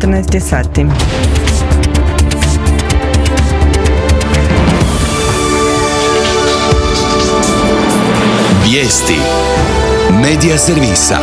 14 sati. Vijesti Medija servisa.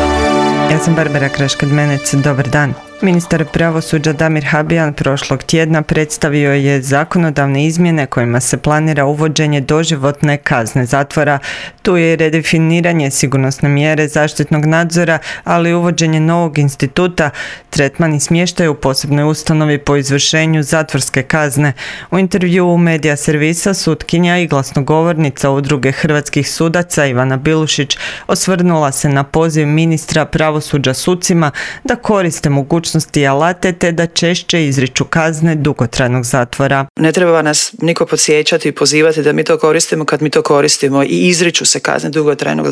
Ja sam Barbara Kraškad-Menec, dobar dan. Ministar pravosuđa Damir Habijan prošlog tjedna predstavio je zakonodavne izmjene kojima se planira uvođenje doživotne kazne zatvora. Tu je i redefiniranje sigurnosne mjere zaštitnog nadzora, ali i uvođenje novog instituta, tretman i smještaj u posebnoj ustanovi po izvršenju zatvorske kazne. U intervjuu u Medija servisa sutkinja i glasnogovornica Udruge hrvatskih sudaca Ivana Bilušić osvrnula se na poziv ministra pravosuđa sucima da koriste mogućnosti i alate te da češće izriču kazne dugotrajnog zatvora. Ne treba nas niko podsjećati i pozivati da mi to koristimo kad mi to koristimo i izriču se kazne dugotrajnog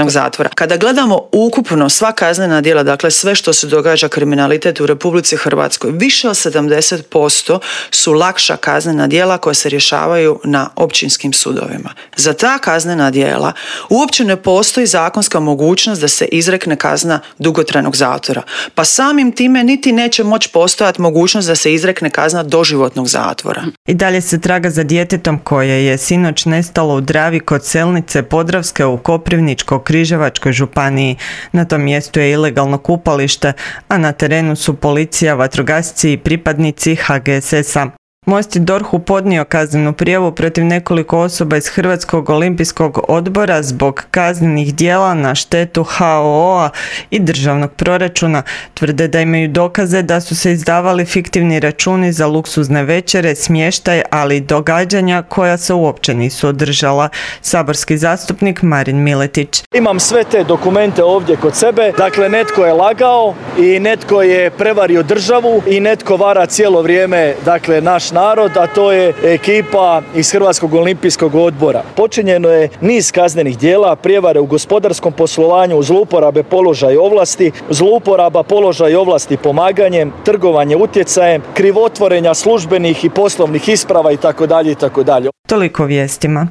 zatvora. Kada gledamo ukupno sva kaznena djela, dakle sve što se događa kriminalitet u Republici Hrvatskoj, više od 70% su lakša kaznena djela koja se rješavaju na općinskim sudovima. Za ta kaznena djela uopće ne postoji zakonska mogućnost da se izrekne kazna dugotrajnog zatvora. Pa samim time niti neće moći postojati mogućnost da se izrekne kazna doživotnog zatvora. I dalje se traga za djetetom koje je sinoć nestalo u Dravi kod Selnice Podravske u Koprivničko-križevačkoj županiji. Na tom mjestu je ilegalno kupalište, a na terenu su policija, vatrogasci i pripadnici HGSS-a. Most je DORH-u podnio kaznenu prijavu protiv nekoliko osoba iz Hrvatskog olimpijskog odbora zbog kaznenih djela na štetu HOO-a i državnog proračuna. Tvrde da imaju dokaze da su se izdavali fiktivni računi za luksuzne večere, smještaj, ali i događanja koja se uopće nisu održala. Saborski zastupnik Marin Miletić. Imam sve te dokumente ovdje kod sebe. Dakle, netko je lagao i netko je prevario državu i netko vara cijelo vrijeme, dakle, naš narod, a to je ekipa iz Hrvatskog olimpijskog odbora. Počinjeno je niz kaznenih djela, prijevare u gospodarskom poslovanju, zlouporabe položaja i ovlasti, zlouporaba položaja i ovlasti pomaganjem, trgovanje utjecajem, krivotvorenja službenih i poslovnih isprava itd. itd. Toliko vijestima.